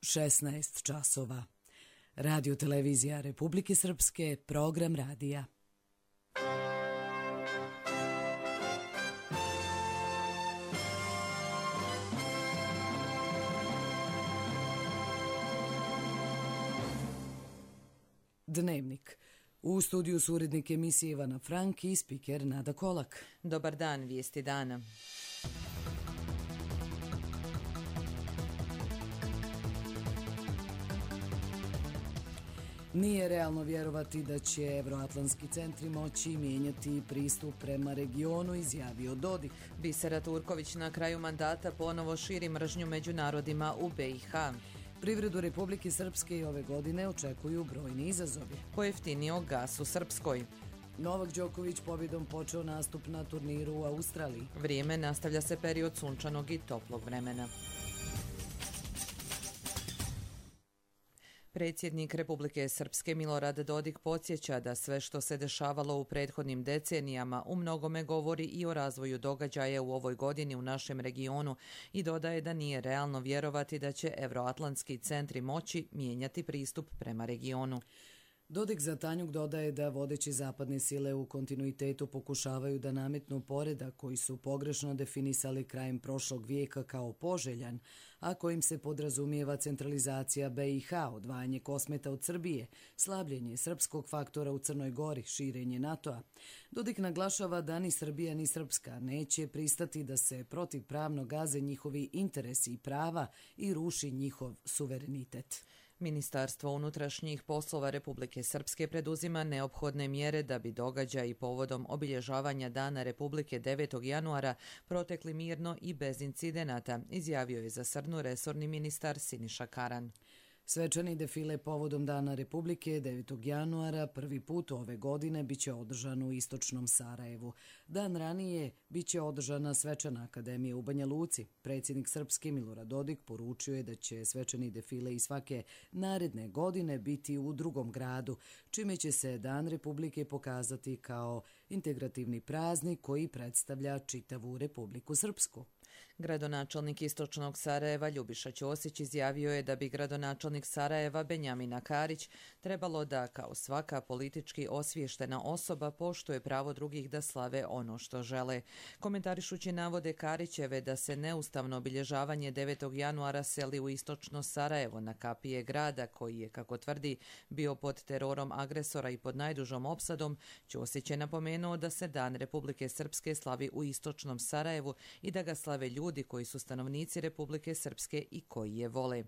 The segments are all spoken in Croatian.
16 časova. Radio televizija Republike Srpske, program radija. Dnevnik. U studiju su urednik emisije Ivana Frank i spiker Nada Kolak. Dobar dan, vijesti dana. Nije realno vjerovati da će evroatlantski centri moći mijenjati pristup prema regionu, izjavio Dodik. Bisera Turković na kraju mandata ponovo širi mržnju među narodima u BiH. Privredu Republike Srpske i ove godine očekuju brojni izazovi. Pojeftinio gas u Srpskoj. Novak Đoković pobjedom počeo nastup na turniru u Australiji. Vrijeme, nastavlja se period sunčanog i toplog vremena. Predsjednik Republike Srpske Milorad Dodik podsjeća da sve što se dešavalo u prethodnim decenijama u mnogome govori i o razvoju događaja u ovoj godini u našem regionu i dodaje da nije realno vjerovati da će evroatlantski centri moći mijenjati pristup prema regionu. Dodik za Tanjuk dodaje da vodeće zapadne sile u kontinuitetu pokušavaju da nametnu poredak koji su pogrešno definisali krajem prošlog vijeka kao poželjan, a kojim se podrazumijeva centralizacija BiH, odvajanje Kosmeta od Srbije, slabljenje srpskog faktora u Crnoj Gori, širenje NATO-a. Dodik naglašava da ni Srbija ni Srpska neće pristati da se protivpravno gaze njihovi interesi i prava i ruši njihov suverenitet. Ministarstvo unutrašnjih poslova Republike Srpske preduzima neophodne mjere da bi događaji povodom obilježavanja Dana Republike 9. januara protekli mirno i bez incidenata, izjavio je za Srnu resorni ministar Siniša Karan. Svečani defile povodom Dana Republike 9. januara prvi put ove godine biće održan u istočnom Sarajevu. Dan ranije biće održana svečana akademija u Banja Luci. Predsjednik Srpske Milorad Dodik poručio je da će svečani defile i svake naredne godine biti u drugom gradu, čime će se Dan Republike pokazati kao integrativni praznik koji predstavlja čitavu Republiku Srpsku. Gradonačelnik istočnog Sarajeva Ljubiša Ćosić izjavio je da bi gradonačelnik Sarajeva Benjamina Karić trebalo da, kao svaka politički osviještena osoba, poštuje pravo drugih da slave ono što žele. Komentarišući navode Karićeve da se neustavno obilježavanje 9. januara seli u istočno Sarajevo na kapije grada, koji je, kako tvrdi, bio pod terorom agresora i pod najdužom opsadom, Ćosić je napomenuo da se Dan Republike Srpske slavi u istočnom Sarajevu i da ga slave ljudi koji su stanovnici Republike Srpske i koji je vole.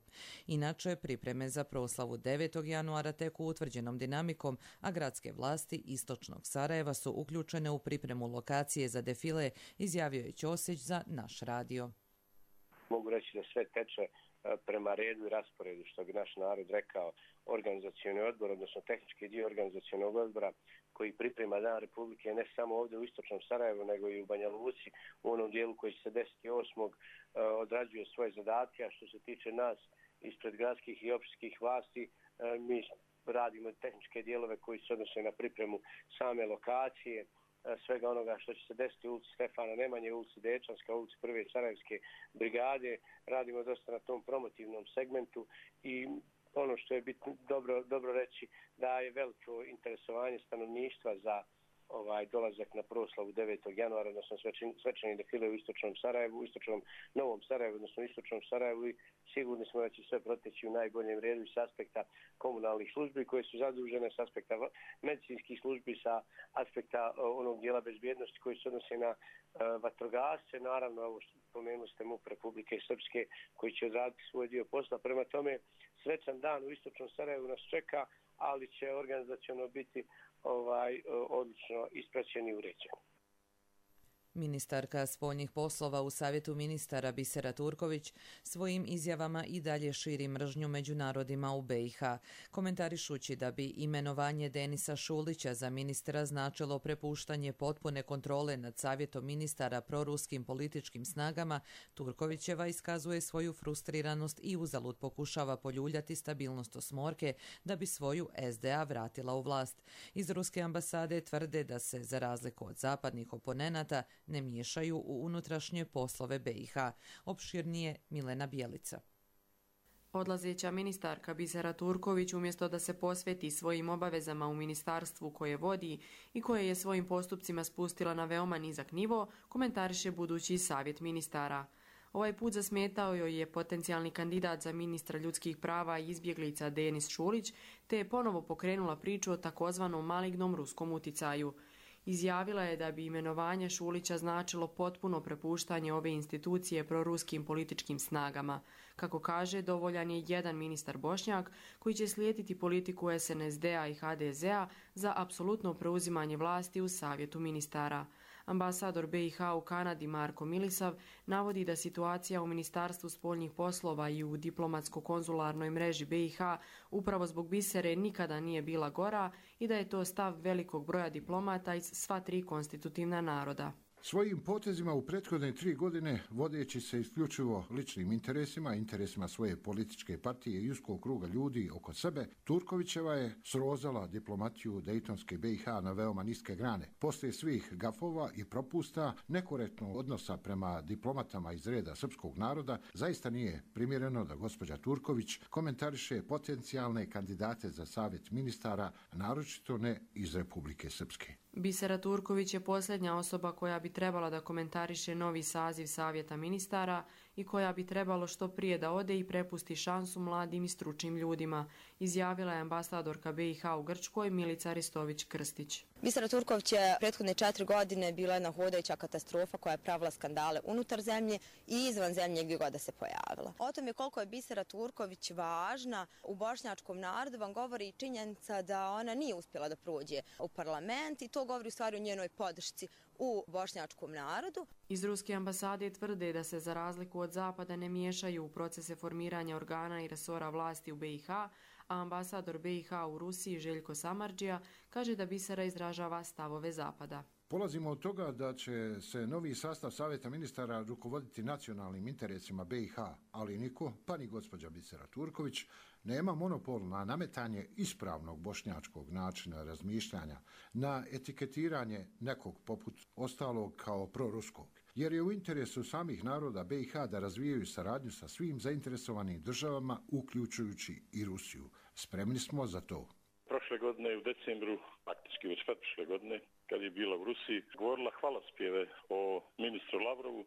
Inače, pripreme za proslavu 9. januara teku utvrđenom dinamikom, a gradske vlasti istočnog Sarajeva su uključene u pripremu lokacije za defile, izjavio je Ćosić za naš radio. Mogu reći da sve teče prema redu i rasporedu, što bi naš narod rekao, organizacioni odbor, odnosno tehnički dio organizacionog odbora koji priprema Dan Republike ne samo ovdje u istočnom Sarajevu, nego i u Banja Luci, u onom dijelu koji će se 10.8. Odrađuje svoje zadatke, a što se tiče nas ispred gradskih i općinskih vlasti, mi radimo tehničke dijelove koji se odnose na pripremu same lokacije, svega onoga što će se desiti u ulici Stefana Nemanje, ulici Dečanska, ulici Prve Sarajevske brigade. Radimo dosta na tom promotivnom segmentu i ono što je bitno dobro reći da je veliko interesovanje stanovništva za dolazak na proslavu 9. januara, odnosno svečani defile u istočnom Sarajevu, u istočnom Novom Sarajevu, odnosno istočnom Sarajevu, i sigurni smo da će sve proteći u najboljem redu i s aspekta komunalnih službi koje su zadužene, s aspekta medicinskih službi, sa aspekta onog dijela bezbjednosti koji se odnose na vatrogasce, naravno ovo što pomenuli ste MUP Republike Srpske koji će odraditi svoj dio posla. Prema tome, svečan dan u istočnom Sarajevu nas čeka, ali će organizaciono biti odlično ispraćen i uređen. Ministarka spoljnih poslova u Savjetu ministara Bisera Turković svojim izjavama i dalje širi mržnju među narodima u BiH, komentarišući da bi imenovanje Denisa Šulića za ministra značilo prepuštanje potpune kontrole nad Savjetom ministara proruskim političkim snagama. Turkovićeva iskazuje svoju frustriranost i uzalud pokušava poljuljati stabilnost osmorke da bi svoju SDA vratila u vlast. Iz ruske ambasade tvrde da se, za razliku od zapadnih oponenata, ne miješaju u unutrašnje poslove BiH. Opširnije Milena Bjelica. Odlazeća ministarka Bisera Turković umjesto da se posveti svojim obavezama u ministarstvu koje vodi i koje je svojim postupcima spustila na veoma nizak nivo, komentariše budući savjet ministara. Ovaj put zasmetao joj je potencijalni kandidat za ministra ljudskih prava i izbjeglica Denis Šulić, te je ponovo pokrenula priču o takozvanom malignom ruskom uticaju. Izjavila je da bi imenovanje Šulića značilo potpuno prepuštanje ove institucije proruskim političkim snagama. Kako kaže, dovoljan je jedan ministar Bošnjak koji će slijediti politiku SNSD-a i HDZ-a za apsolutno preuzimanje vlasti u savjetu ministara. Ambasador BiH u Kanadi Marko Milisav navodi da situacija u Ministarstvu spoljnih poslova i u diplomatsko-konzularnoj mreži BiH upravo zbog Bisere nikada nije bila gora i da je to stav velikog broja diplomata iz sva tri konstitutivna naroda. Svojim potezima u prethodne 3 godine, vodeći se isključivo ličnim interesima svoje političke partije i uskog kruga ljudi oko sebe, Turkovićeva je srozala diplomatiju Dejtonske BiH na veoma niske grane. Poslije svih gafova i propusta, nekorektnog odnosa prema diplomatama iz reda srpskog naroda, zaista nije primjereno da gospođa Turković komentariše potencijalne kandidate za savjet ministara, naročito ne iz Republike Srpske. Bisera Turković je posljednja osoba koja bi trebala da komentariše novi saziv savjeta ministara i koja bi trebalo što prije da ode i prepusti šansu mladim i stručnim ljudima, izjavila je ambasadorka BiH u Grčkoj Milica Ristović-Krstić. Bisera Turković je prethodne 4 godine bila jedna hodajuća katastrofa koja je pravila skandale unutar zemlje i izvan zemlje gdje god da se pojavila. O tome koliko je Bisera Turković važna u bošnjačkom narodu vam govori i činjenica da ona nije uspjela da prođe u parlament i to govori u stvari o njenoj podršci u bošnjačkom narodu. Iz ruske ambasade tvrde da se za razliku od Zapada ne miješaju u procese formiranja organa i resora vlasti u BiH, a ambasador BiH u Rusiji Željko Samardžija kaže da Bisera izražava stavove Zapada. Polazimo od toga da će se novi sastav savjeta ministara rukovoditi nacionalnim interesima BiH, ali niko, pa ni gospođa Bisera Turković, nema monopol na nametanje ispravnog bošnjačkog načina razmišljanja, na etiketiranje nekog poput ostalog kao proruskog, jer je u interesu samih naroda BiH da razvijaju saradnju sa svim zainteresovanim državama, uključujući i Rusiju. Spremni smo za to. Prošle godine u decembru, praktički već pretprošle godine, kad je bila u Rusiji, govorila hvalospjeve o ministru Lavrovu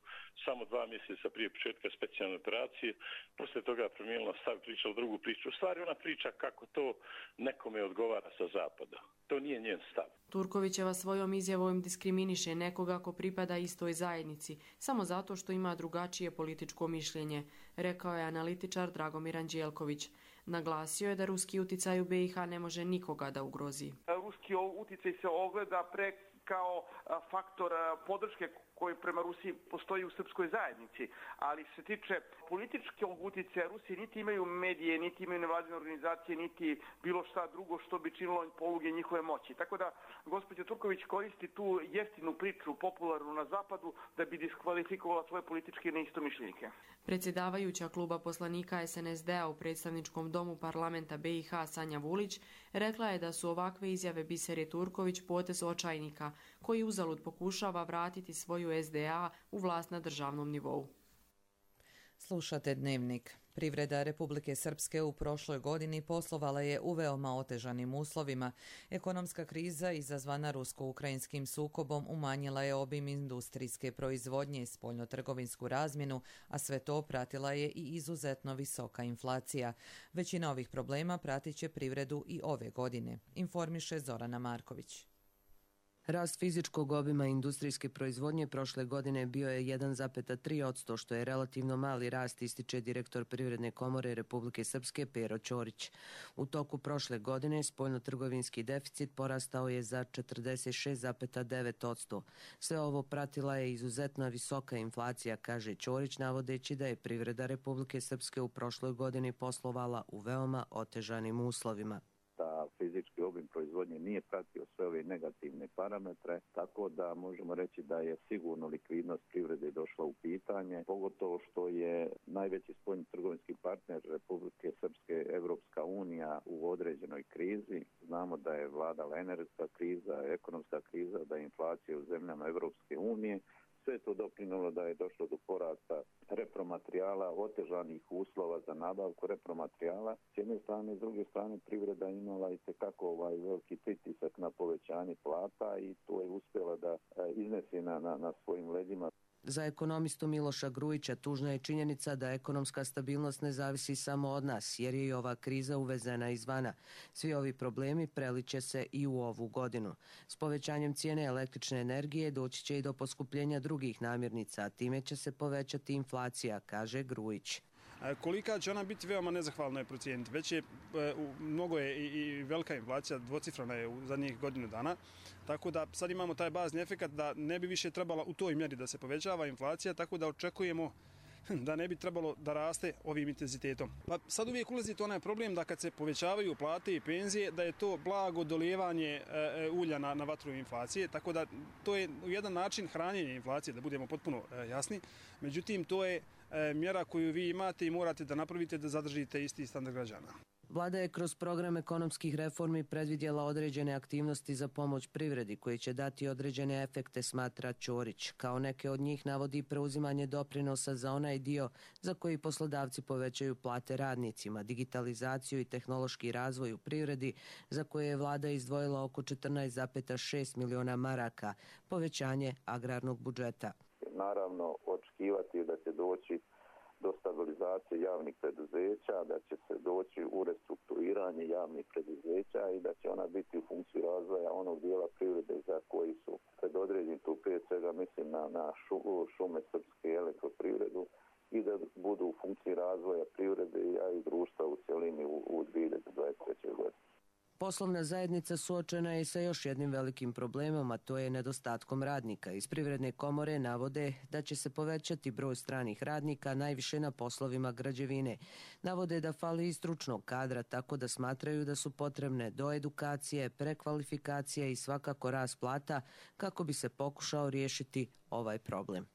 samo 2 mjeseca prije početka specijalne operacije. Poslije toga promijenila stav, pričala drugu priču. U stvari ona priča kako to nekome odgovara sa zapada. To nije njen stav. Turkovićeva svojom izjavom diskriminiše nekoga ko pripada istoj zajednici, samo zato što ima drugačije političko mišljenje, rekao je analitičar Dragomir Anđelković. Naglasio je da ruski uticaj u BiH ne može nikoga da ugrozi. Ruski uticaj se ogleda kao faktor podrške koji prema Rusiji postoji u srpskoj zajednici, ali se tiče političkog uticaja Rusije niti imaju medije, niti imaju nevladine organizacije, niti bilo šta drugo što bi činilo poluge njihove moći. Tako da gospođa Turković koristi tu jeftinu priču popularnu na zapadu da bi diskvalifikovala svoje političke neistomišljenike. Predsjedavajuća kluba poslanika SNSD-a u predstavničkom domu parlamenta BiH Sanja Vulić rekla je da su ovakve izjave Bisere Turković potez očajnika koji uzalud pokušava vratiti svoju SDA u vlast na državnom nivou. Slušate Dnevnik. Privreda Republike Srpske u prošloj godini poslovala je u veoma otežanim uslovima. Ekonomska kriza izazvana rusko-ukrajinskim sukobom umanjila je obim industrijske proizvodnje i spoljnotrgovinsku razmjenu, a sve to pratila je i izuzetno visoka inflacija. Većina ovih problema pratit će privredu i ove godine, informiše Zorana Marković. Rast fizičkog obima industrijske proizvodnje prošle godine bio je 1,3%, što je relativno mali rast, ističe direktor Privredne komore Republike Srpske Pero Ćorić. U toku prošle godine spoljnotrgovinski deficit porastao je za 46,9%. Sve ovo pratila je izuzetno visoka inflacija, kaže Ćorić, navodeći da je privreda Republike Srpske u prošloj godini poslovala u veoma otežanim uslovima. Fizički obim proizvodnje nije pratio sve ove negativne parametre, tako da možemo reći da je sigurno likvidnost privrede došla u pitanje, pogotovo što je najveći spoljni trgovinski partner Republike Srpske Evropska unija u određenoj krizi. Znamo da je vladala energetska kriza, ekonomska kriza, da je inflacija u zemljama Evropske unije. Sve to doprinjelo da je došlo do porasta repromaterijala, otežanih uslova za nabavku repromaterijala. S jedne strane, s druge strane, privreda imala i tekako veliki pritisak na povećanje plata i to je uspjela da iznese na svojim leđima. Za ekonomistu Miloša Grujića tužna je činjenica da ekonomska stabilnost ne zavisi samo od nas, jer je i ova kriza uvezena izvana. Svi ovi problemi preliće se i u ovu godinu. S povećanjem cijene električne energije doći će i do poskupljenja drugih namirnica, a time će se povećati inflacija, kaže Grujić. Kolika će ona biti, veoma nezahvalno je procijeniti. Već je, mnogo je i velika inflacija, dvocifrana je u zadnjih godinu dana, tako da sad imamo taj bazni efekat da ne bi više trebala u toj mjeri da se povećava inflacija, tako da očekujemo da ne bi trebalo da raste ovim intenzitetom. Pa sad uvijek ulazi to onaj problem da kad se povećavaju plate i penzije, da je to blago dolijevanje ulja na vatru inflacije, tako da to je jedan način hranjenja inflacije, da budemo potpuno jasni. Međutim, to je mjera koju vi imate i morate da napravite da zadržite isti standard građana. Vlada je kroz program ekonomskih reformi predvidjela određene aktivnosti za pomoć privredi koji će dati određene efekte, smatra Ćorić. Kao neke od njih navodi preuzimanje doprinosa za onaj dio za koji poslodavci povećaju plate radnicima, digitalizaciju i tehnološki razvoj u privredi za koje je vlada izdvojila oko 14,6 miliona maraka, povećanje agrarnog budžeta. Naravno, očekivati da će doći do stabilizacije javnih preduzeća, da će se doći u restrukturiranje javnih preduzeća i da će ona biti u funkciji razvoja onog dijela privrede za koji su predodređeni, tu prije svega mislim na šume srpske i elektroprivredu, i da budu u funkciji razvoja privrede i društva u cjelini u 2023. godini. Poslovna zajednica suočena je sa još jednim velikim problemom, a to je nedostatkom radnika. Iz Privredne komore navode da će se povećati broj stranih radnika najviše na poslovima građevine. Navode da fali i stručnog kadra, tako da smatraju da su potrebne doedukacije, prekvalifikacije i svakako rast plata kako bi se pokušao riješiti ovaj problem.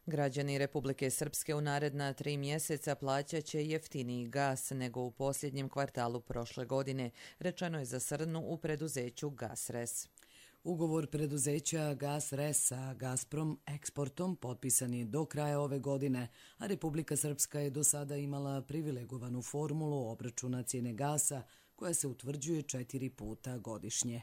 Građani Republike Srpske u naredna 3 mjeseca plaćat će jeftiniji gas nego u posljednjem kvartalu prošle godine, rečeno je za srnu u preduzeću Gasres. Ugovor preduzeća Gasres sa Gazprom eksportom potpisan je do kraja ove godine, a Republika Srpska je do sada imala privilegovanu formulu obračuna cijene gasa koja se utvrđuje 4 puta godišnje.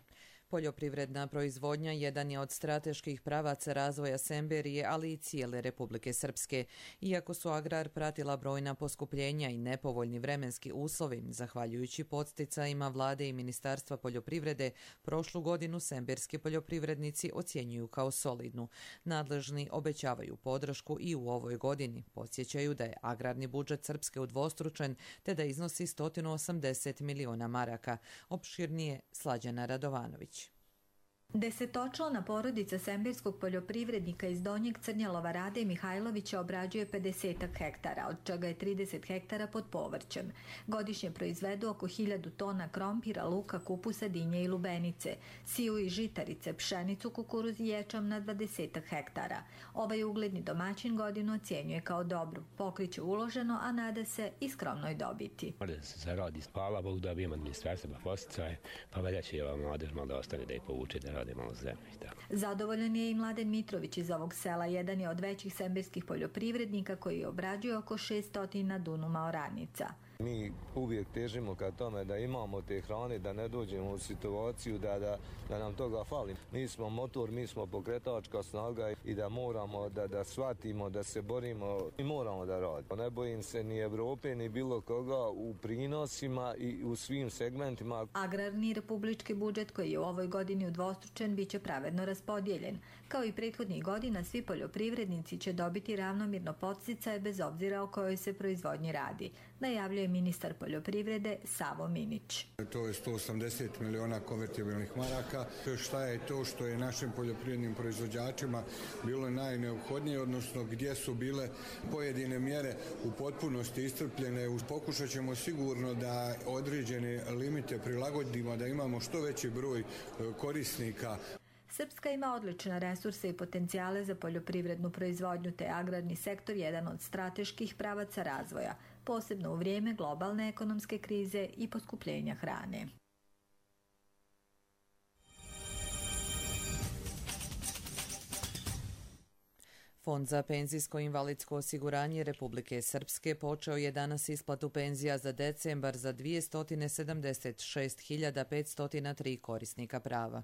Poljoprivredna proizvodnja jedan je od strateških pravaca razvoja Semberije, ali i cijele Republike Srpske. Iako su agrar pratila brojna poskupljenja i nepovoljni vremenski uslovi, zahvaljujući podsticajima vlade i Ministarstva poljoprivrede, prošlu godinu semberski poljoprivrednici ocjenjuju kao solidnu. Nadležni obećavaju podršku i u ovoj godini. Podsjećaju da je agrarni budžet Srpske udvostručen, te da iznosi 180 miliona maraka. Opširnije Slađana Radovanović. Desetočlana porodica semberskog poljoprivrednika iz Donjeg Crnjalova Rade Mihajlovića obrađuje 50 hektara, od čega je 30 hektara pod povrćem. Godišnje proizvedu oko 1000 tona krompira, luka, kupusa, dinje i lubenice, siju i žitarice, pšenicu, kukuruz i ječam na 20 hektara. Ovaj ugledni domaćin godinu ocjenjuje kao dobru, pokriće uloženo, a nada se i skromnoj dobiti. Da se zaradi, hvala Bogu da bi imam administracija pa posticaje, pa velja će i ova mladež malo da ostane da je povuče da rade malo zemlje i tako. Zadovoljan je i Mladen Mitrović iz ovog sela, jedan je od većih semberskih poljoprivrednika koji obrađuje oko 600 dunuma oranica. Mi uvijek težimo ka tome da imamo te hrane, da ne dođemo u situaciju da nam toga fali. Mi smo motor, mi smo pokretačka snaga i da moramo da shvatimo, da se borimo i moramo da radimo. Ne bojim se ni Evrope, ni bilo koga u prinosima i u svim segmentima. Agrarni republički budžet koji je u ovoj godini udvostručen biće pravedno raspodijeljen. Kao i prethodnih godina, svi poljoprivrednici će dobiti ravnomirno podsticaje bez obzira o kojoj se proizvodnji radi, najavljuje ministar poljoprivrede Savo Minić. To je 180 miliona konvertibilnih maraka. Šta je to što je našim poljoprivrednim proizvođačima bilo najneophodnije, odnosno gdje su bile pojedine mjere u potpunosti iscrpljene. Pokušat ćemo sigurno da određene limite prilagodimo, da imamo što veći broj korisnika. Srpska ima odlične resurse i potencijale za poljoprivrednu proizvodnju, te agrarni sektor jedan od strateških pravaca razvoja, posebno u vrijeme globalne ekonomske krize i poskupljenja hrane. Fond za penzijsko-invalidsko osiguranje Republike Srpske počeo je danas isplatu penzija za decembar za 276.503 korisnika prava.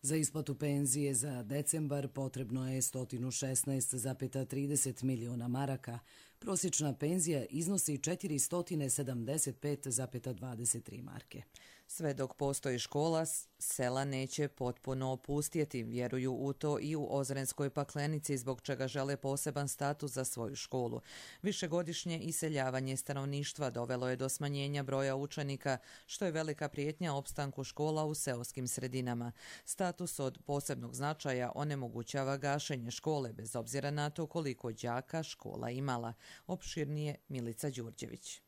Za isplatu penzije za decembar potrebno je 116,30 miliona maraka. Prosječna penzija iznosi 475,23 marke. Sve dok postoji škola, sela neće potpuno opustjeti, vjeruju u to i u Ozrenskoj Paklenici, zbog čega žele poseban status za svoju školu. Višegodišnje iseljavanje stanovništva dovelo je do smanjenja broja učenika, što je velika prijetnja opstanku škola u seoskim sredinama. Status od posebnog značaja onemogućava gašenje škole, bez obzira na to koliko đaka škola imala. Opširnije Milica Đurđević.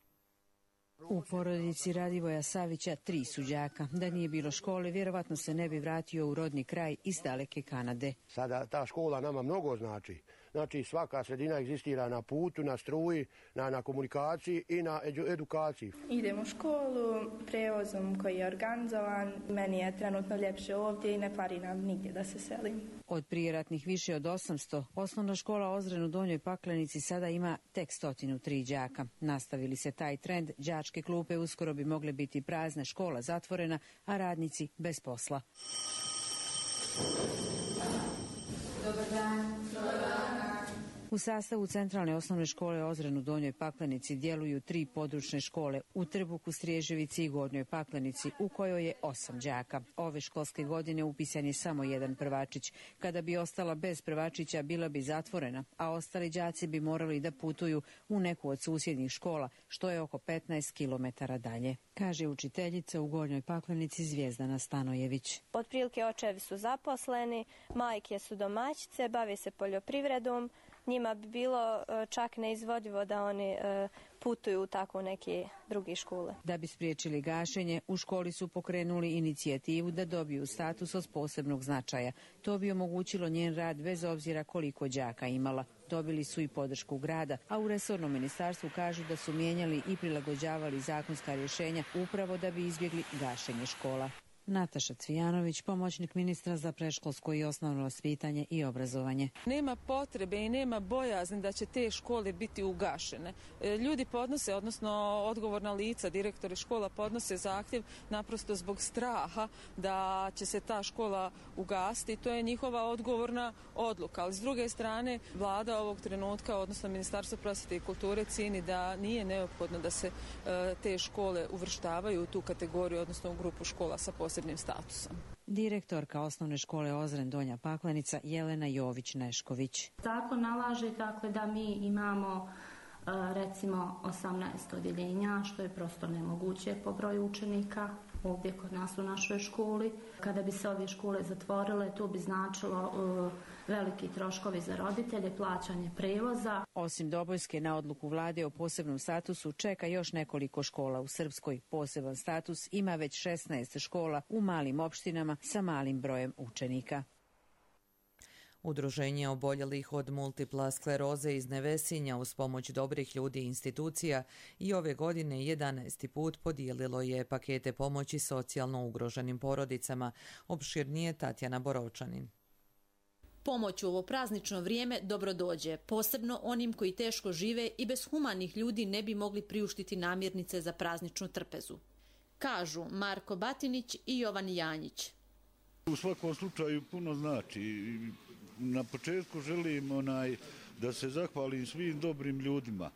U porodici Radivoja Savića 3 su đaka. Da nije bilo škole, vjerovatno se ne bi vratio u rodni kraj iz daleke Kanade. Sada ta škola nama mnogo znači. Znači svaka sredina egzistira na putu, na struji, na komunikaciji i na edukaciji. Idem u školu prevozom koji je organizovan. Meni je trenutno ljepše ovdje i ne fali nam nigdje da se selim. Od prijeratnih više od 800, osnovna škola Ozren u Donjoj Paklenici sada ima tek 103 đaka. Nastavili se taj trend, đačke klupe uskoro bi mogle biti prazne, škola zatvorena, a radnici bez posla. Dobar dan. U sastavu centralne osnovne škole Ozren u Donjoj Paklenici djeluju 3 područne škole u Trbuku, Striježevici i Gornjoj Paklenici, u kojoj je 8 đaka. Ove školske godine upisan je samo jedan prvačić. Kada bi ostala bez prvačića, bila bi zatvorena, a ostali đaci bi morali da putuju u neku od susjednih škola, što je oko 15 kilometara dalje, kaže učiteljica u Gornjoj Paklenici Zvijezdana Stanojević. Otprilike očevi su zaposleni, majke su domaćice, bave se poljoprivredom. Njima bi bilo čak neizvodivo da oni putuju u tako neke druge škole. Da bi spriječili gašenje, u školi su pokrenuli inicijativu da dobiju status od posebnog značaja. To bi omogućilo njen rad bez obzira koliko đaka imala. Dobili su i podršku grada, a u resornom ministarstvu kažu da su mijenjali i prilagođavali zakonska rješenja upravo da bi izbjegli gašenje škola. Nataša Cvijanović, pomoćnik ministra za predškolsko i osnovno vaspitanje i obrazovanje. Nema potrebe i nema bojazni da će te škole biti ugašene. Ljudi podnose, odnosno odgovorna lica, direktori škola podnose zahtjev naprosto zbog straha da će se ta škola ugasiti. To je njihova odgovorna odluka. Ali s druge strane, vlada ovog trenutka, odnosno Ministarstvo prosvjete i kulture, cijeni da nije neophodno da se te škole uvrštavaju u tu kategoriju, odnosno u grupu škola sa posebnim statusom. Direktorka osnovne škole Ozren Donja Paklenica Jelena Jović-Nešković. Zakon nalaže da mi imamo recimo 18 odjeljenja, što je prosto nemoguće po broju učenika ovdje kod nas u našoj školi. Kada bi se ove škole zatvorile, to bi značilo veliki troškovi za roditelje, plaćanje prevoza. Osim Dobojske, na odluku vlade o posebnom statusu čeka još nekoliko škola u Srpskoj. Poseban status ima već 16 škola u malim opštinama sa malim brojem učenika. Udruženje oboljelih od multipla skleroze iz Nevesinja uz pomoć dobrih ljudi i institucija i ove godine 11. put podijelilo je pakete pomoći socijalno ugroženim porodicama. Opširnije Tatjana Borovčanin. Pomoć u ovo praznično vrijeme dobro dođe, posebno onim koji teško žive i bez humanih ljudi ne bi mogli priuštiti namirnice za prazničnu trpezu. Kažu Marko Batinić i Jovan Janjić. U svakom slučaju puno znači. Na početku želim da se zahvalim svim dobrim ljudima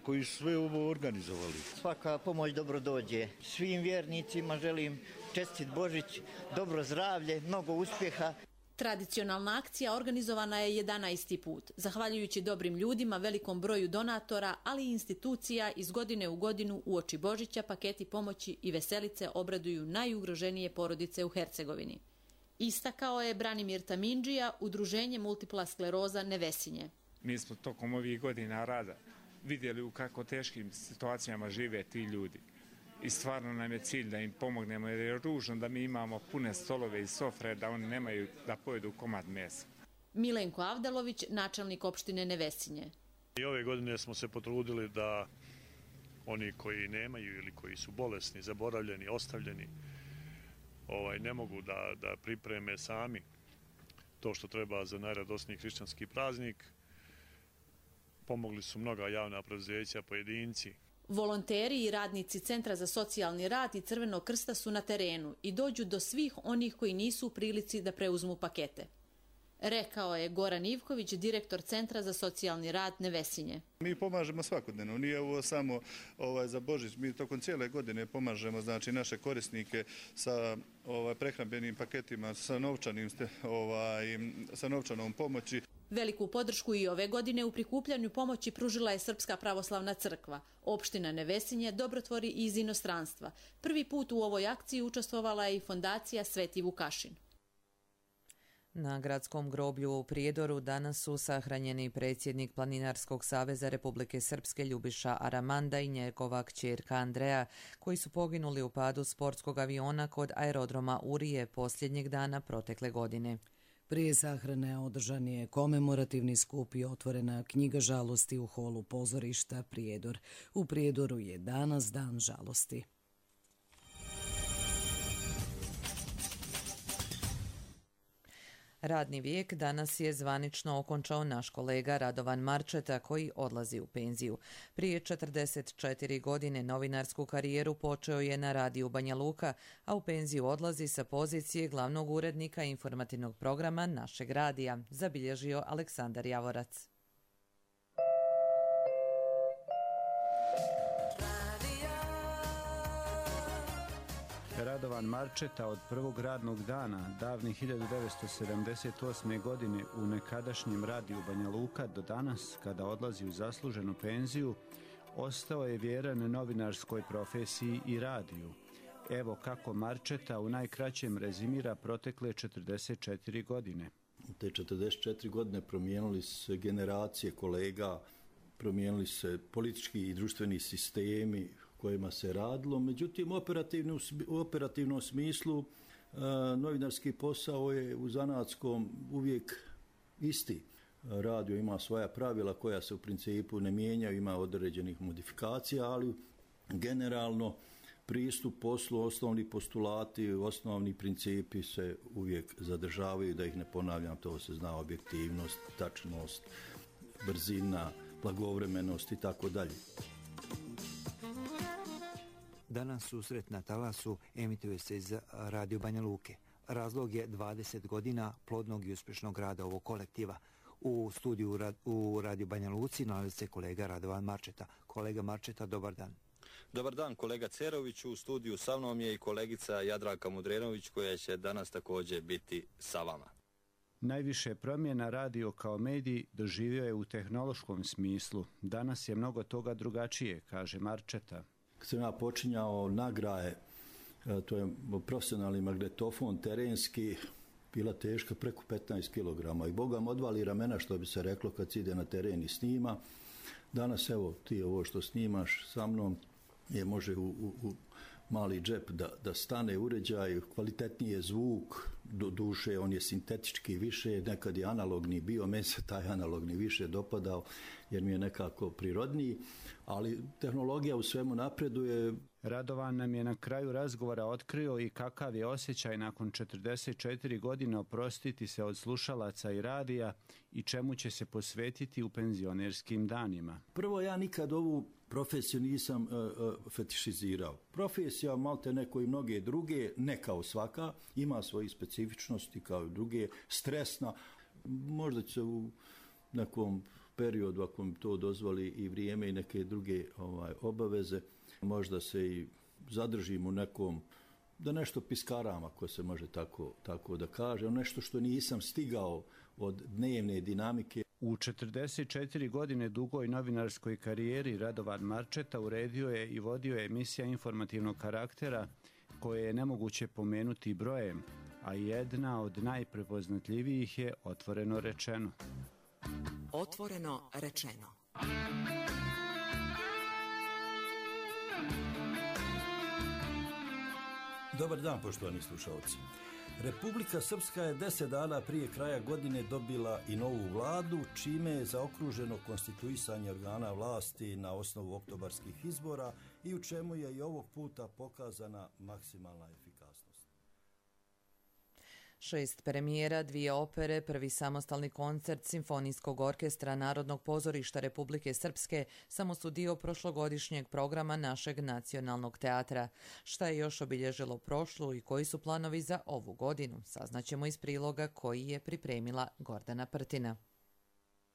koji su sve ovo organizovali. Svaka pomoć dobro dođe. Svim vjernicima želim čestit Božić, dobro zdravlje, mnogo uspjeha. Tradicionalna akcija organizovana je 11. put. Zahvaljujući dobrim ljudima, velikom broju donatora, ali i institucija, iz godine u godinu uoči Božića paketi pomoći i veselice obraduju najugroženije porodice u Hercegovini. Istakao je Branimir Tamindžija, Udruženje multipla skleroza Nevesinje. Mi smo tokom ovih godina rada vidjeli u kako teškim situacijama žive ti ljudi. I stvarno nam je cilj da im pomognemo, jer je ružno da mi imamo pune stolove i sofre, da oni nemaju da pojedu komad mesa. Milenko Avdalović, načelnik opštine Nevesinje. I ove godine smo se potrudili da oni koji nemaju ili koji su bolesni, zaboravljeni, ostavljeni, ne mogu da pripreme sami to što treba za najradosniji hrišćanski praznik. Pomogli su mnoga javna preduzeća, pojedinci. Volonteri i radnici Centra za socijalni rad i Crvenog krsta su na terenu i dođu do svih onih koji nisu u prilici da preuzmu pakete. Rekao je Goran Ivković, direktor Centra za socijalni rad Nevesinje. Mi pomažemo svakodnevno, nije ovo samo za Božić, mi tokom cijele godine pomažemo naše korisnike sa prehrambenim paketima, sa novčanom pomoći. Veliku podršku i ove godine u prikupljanju pomoći pružila je Srpska pravoslavna crkva. Opština Nevesinje dobrotvori iz inostranstva. Prvi put u ovoj akciji učestvovala je i fondacija Sveti Vukašin. Na gradskom groblju u Prijedoru danas su sahranjeni predsjednik Planinarskog saveza Republike Srpske Ljubiša Aramanda i njegova kćerka Andreja, koji su poginuli u padu sportskog aviona kod aerodroma Urije posljednjeg dana protekle godine. Prije sahrane održan je komemorativni skup i otvorena knjiga žalosti u holu pozorišta Prijedor. U Prijedoru je danas dan žalosti. Radni vijek danas je zvanično okončao naš kolega Radovan Marčeta, koji odlazi u penziju. Prije 44 godine novinarsku karijeru počeo je na radiju Banja Luka, a u penziju odlazi sa pozicije glavnog urednika informativnog programa našeg radija, zabilježio Aleksandar Javorac. Radovan Marčeta od prvog radnog dana, davne 1978. godine u nekadašnjem radiju Banja Luka do danas, kada odlazi u zasluženu penziju, ostao je vjeran novinarskoj profesiji i radiju. Evo kako Marčeta u najkraćem rezimira protekle 44 godine. U te 44 godine promijenili se generacije kolega, promijenili se politički i društveni sistemi kojima se radilo. Međutim, u operativnom smislu novinarski posao je u zanatskom uvijek isti. Radio ima svoja pravila koja se u principu ne mijenjaju, ima određenih modifikacija, ali generalno pristup poslu, osnovni postulati, osnovni principi se uvijek zadržavaju, da ih ne ponavljam, to se zna, objektivnost, tačnost, brzina, blagovremenost i tako dalje. Danas susret na talasu emituje se iz Radio Banja Luke. Razlog je 20 godina plodnog i uspješnog rada ovog kolektiva. U studiju u Radio Banja Luci nalazi se kolega Radovan Marčeta. Kolega Marčeta, dobar dan. Dobar dan, kolega Cerović. U studiju sa mnom je i kolegica Jadranka Mudrenović, koja će danas također biti sa vama. Najviše promjena radio kao medij doživio je u tehnološkom smislu. Danas je mnogo toga drugačije, kaže Marčeta. Kad sam ja počinjao nagraje, to je profesionalni magnetofon terenski, bila teška preko 15 kg i Boga mu odvali ramena, što bi se reklo, kad se ide na teren i snima. Danas evo ti ovo što snimaš sa mnom može u mali džep da stane uređaj, kvalitetniji je zvuk, do duše on je sintetički više, nekad je analogni bio, meni se taj analogni više dopadao jer mi je nekako prirodniji, ali tehnologija u svemu napreduje. Radovan nam je na kraju razgovora otkrio i kakav je osjećaj nakon 44 godine oprostiti se od slušalaca i radija i čemu će se posvetiti u penzionerskim danima. Prvo, ja nikad ovu profesiju nisam fetišizirao. Profesija, malte neko i mnoge druge, ne kao svaka, ima svoje specifičnosti kao i druge, stresna. Možda će u nekom periodu, ako mi to dozvoli i vrijeme i neke druge obaveze, možda se i zadržim u nekom, da nešto piskaram, ako se može tako da kaže, nešto što nisam stigao od dnevne dinamike. U 44 godine dugoj novinarskoj karijeri Radovan Marčeta uredio je i vodio emisija informativnog karaktera koje je nemoguće pomenuti brojem, a jedna od najprepoznatljivijih je Otvoreno rečeno. Otvoreno rečeno. Dobar dan, poštovani slušalci. Republika Srpska je 10 dana prije kraja godine dobila i novu vladu, čime je zaokruženo konstituisanje organa vlasti na osnovu oktobarskih izbora i u čemu je i ovog puta pokazana maksimalna efikasnost. 6 premijera, 2 opere, prvi samostalni koncert Simfonijskog orkestra Narodnog pozorišta Republike Srpske samo su dio prošlogodišnjeg programa našeg nacionalnog teatra. Šta je još obilježilo prošlu i koji su planovi za ovu godinu, saznaćemo iz priloga koji je pripremila Gordana Prtina.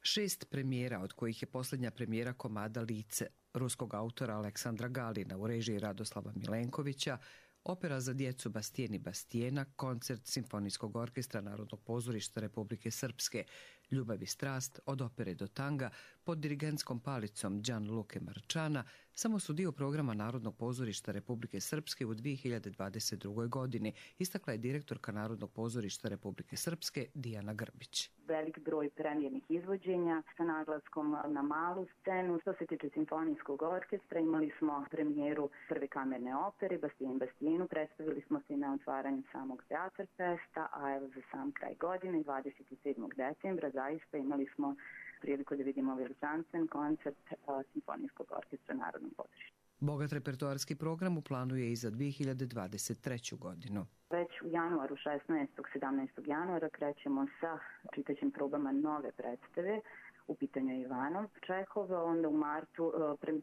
6 premijera, od kojih je posljednja premijera komada Lice, ruskog autora Aleksandra Galina u režiji Radoslava Milenkovića, opera za djecu Bastijen i Bastijena, koncert Simfonijskog orkestra Narodnog pozorišta Republike Srpske, Ljubav i strast, od opere do tanga, pod dirigentskom palicom Gianluke Marčana, samo su dio programa Narodnog pozorišta Republike Srpske u 2022. godini, istakla je direktorka Narodnog pozorišta Republike Srpske Dijana Grbić. Velik broj premijernih izvođenja sa naglaskom na malu scenu. Što se tiče Simfonijskog orkestra, imali smo premijeru prve kamerne opere Bastijen Bastijenu, predstavili smo se na otvaranju samog Teatar Festa, a evo za sam kraj godine, 27. decembra, zaista imali smo priliku da vidimo veličanstven koncert Simfonijskog orkestra Narodnog pozorišta. Bogat repertoarski program u planu je i za 2023. godinu. Već u januaru, 16. 17. januara, krećemo sa čitaćim probama nove predstave. U pitanju je Ivanov Čehov, onda u martu,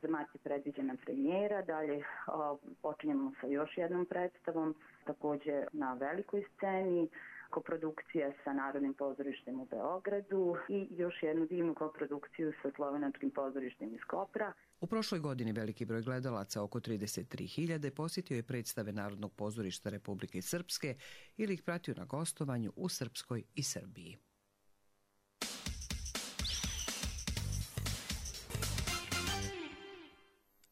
za mart je predviđena premijera, dalje počinjemo sa još jednom predstavom, također na velikoj sceni, koprodukcija sa Narodnim pozorištem u Beogradu i još jednu divnu koprodukciju sa Slovenačkim pozorištem iz Kopra. U prošloj godini veliki broj gledalaca, oko 33.000, posjetio je predstave Narodnog pozorišta Republike Srpske ili ih pratio na gostovanju u Srpskoj i Srbiji.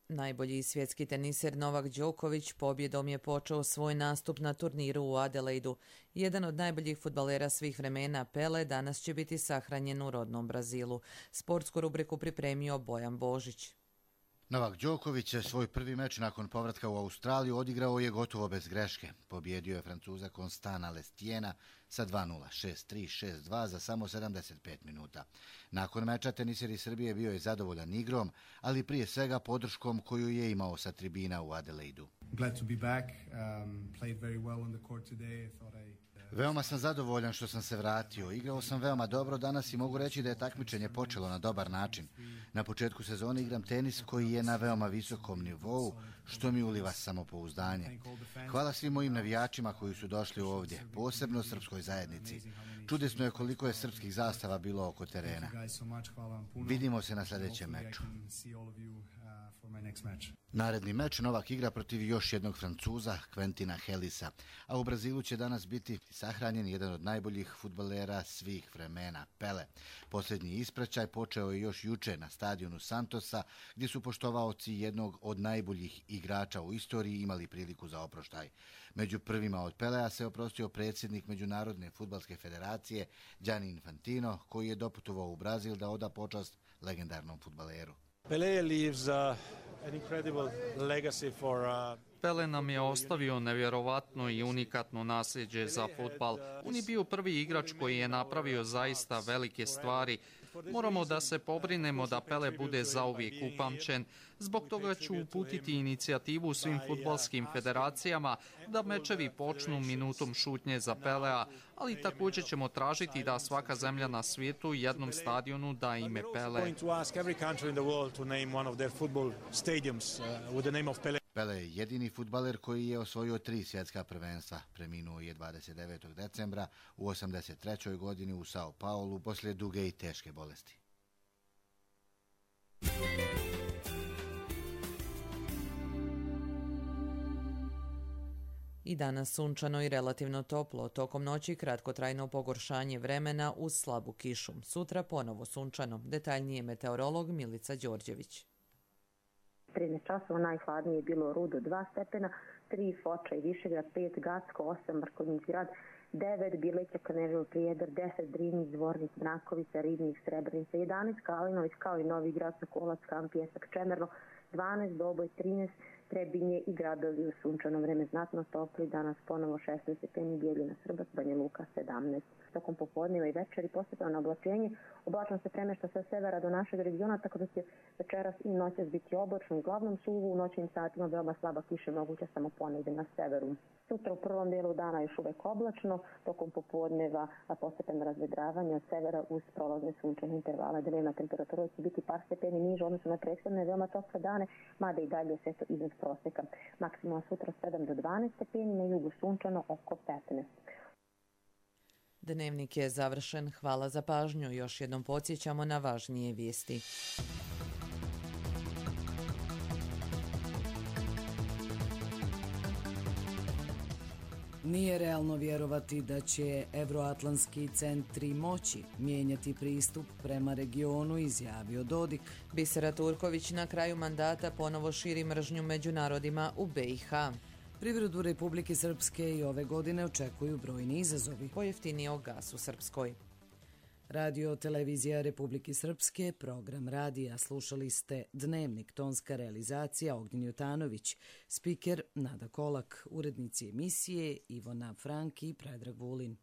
Najbolji svjetski teniser Novak Đoković pobjedom je počeo svoj nastup na turniru u Adelaidu. Jedan od najboljih fudbalera svih vremena, Pele, danas će biti sahranjen u rodnom Brazilu. Sportsku rubriku pripremio Bojan Božić. Novak Đoković svoj prvi meč nakon povratka u Australiju odigrao je gotovo bez greške. Pobjedio je Francuza Constana Lestiena sa 2:0, 6:3, 6:2 za samo 75 minuta. Nakon meča teniser iz Srbije bio je zadovoljan igrom, ali prije svega podrškom koju je imao sa tribina u Adelaidu. Veoma sam zadovoljan što sam se vratio. Igrao sam veoma dobro danas i mogu reći da je takmičenje počelo na dobar način. Na početku sezone igram tenis koji je na veoma visokom nivou, što mi uliva samopouzdanje. Hvala svim mojim navijačima koji su došli ovdje, posebno srpskoj zajednici. Čudesno je koliko je srpskih zastava bilo oko terena. Vidimo se na sljedećem meču. Naredni meč Novak igra protiv još jednog Francuza, Quentina Hellisa, a u Brazilu će danas biti sahranjen jedan od najboljih fudbalera svih vremena, Pele. Posljednji ispraćaj počeo je još juče na stadionu Santosa, gdje su poštovaoci jednog od najboljih igrača u istoriji imali priliku za oproštaj. Među prvima od Pelea se oprostio predsjednik Međunarodne fudbalske federacije Gianni Infantino, koji je doputovao u Brazil da oda počast legendarnom fudbaleru. Pele nam je ostavio nevjerovatno i unikatno nasljeđe za fudbal. On je bio prvi igrač koji je napravio zaista velike stvari. Moramo da se pobrinemo da Pele bude zauvijek upamćen. Zbog toga ću uputiti inicijativu svim fudbalskim federacijama da mečevi počnu minutom šutnje za Pelea, ali također ćemo tražiti da svaka zemlja na svijetu jednom stadionu da ime Pele. Pele je jedini fudbaler koji je osvojio 3 svjetska prvenstva. Preminuo je 29. decembra u 83. godini u Sao Paulu poslije duge i teške bolesti. I danas sunčano i relativno toplo, tokom noći kratkotrajno pogoršanje vremena uz slabu kišu. Sutra ponovo sunčano, detaljnije meteorolog Milica Đorđević. 13 časova najhladnije je bilo Rudo 2 stepena, 3 Foča i Višegrad, 5 Gacko, 8 Mrkonjić grad, 9 Bileća, Kaneževo, Prijedor, 10 Drinić, Zvornik, Mrakovica, Ribnik, Srebrenica, 11 Kalinović, kao i Novi grad, Sokolac, Kamp, Pjesak, Čemerno, 12 Doboj, 13 Trebinje i gradovi u sunčano vreme znatno topli, danas ponovo 16 stepeni, Bijeljina, Srbac, Banja Luka 17. Tokom popodneva i večeri postepeno oblačenje, oblačno se premešta sa severa do našeg regiona, tako da će večeras i noćas biti oblačno, uglavnom suvo, u noćnim satima veoma slaba kiša moguća samo ponegde na severu. Sutra u prvom dijelu dana još uvek oblačno, tokom popodneva postepeno razvedravanje od severa uz prolazne sunčane intervale. Dnevna temperatura će biti par stepeni niže odnosno na prethodne veoma tople dane, mada i dalje sve to iznad proseka. Maksimalno sutra 7 do 12 stepeni, na jugu sunčano oko 15. Dnevnik je završen. Hvala za pažnju. Još jednom podsjećamo na važnije vijesti. Nije realno vjerovati da će evroatlantski centri moći mijenjati pristup prema regionu, izjavio Dodik. Bisera Turković na kraju mandata ponovo širi mržnju među narodima u BiH. Privredu Republike Srpske i ove godine očekuju brojni izazovi. Pojeftinio gas u Srpskoj. Radio Televizija Republike Srpske, program radija. Slušali ste Dnevnik, tonska realizacija Ognjen Jutanović, spiker Nada Kolak, urednici emisije Ivona Franki i Predrag Vulin.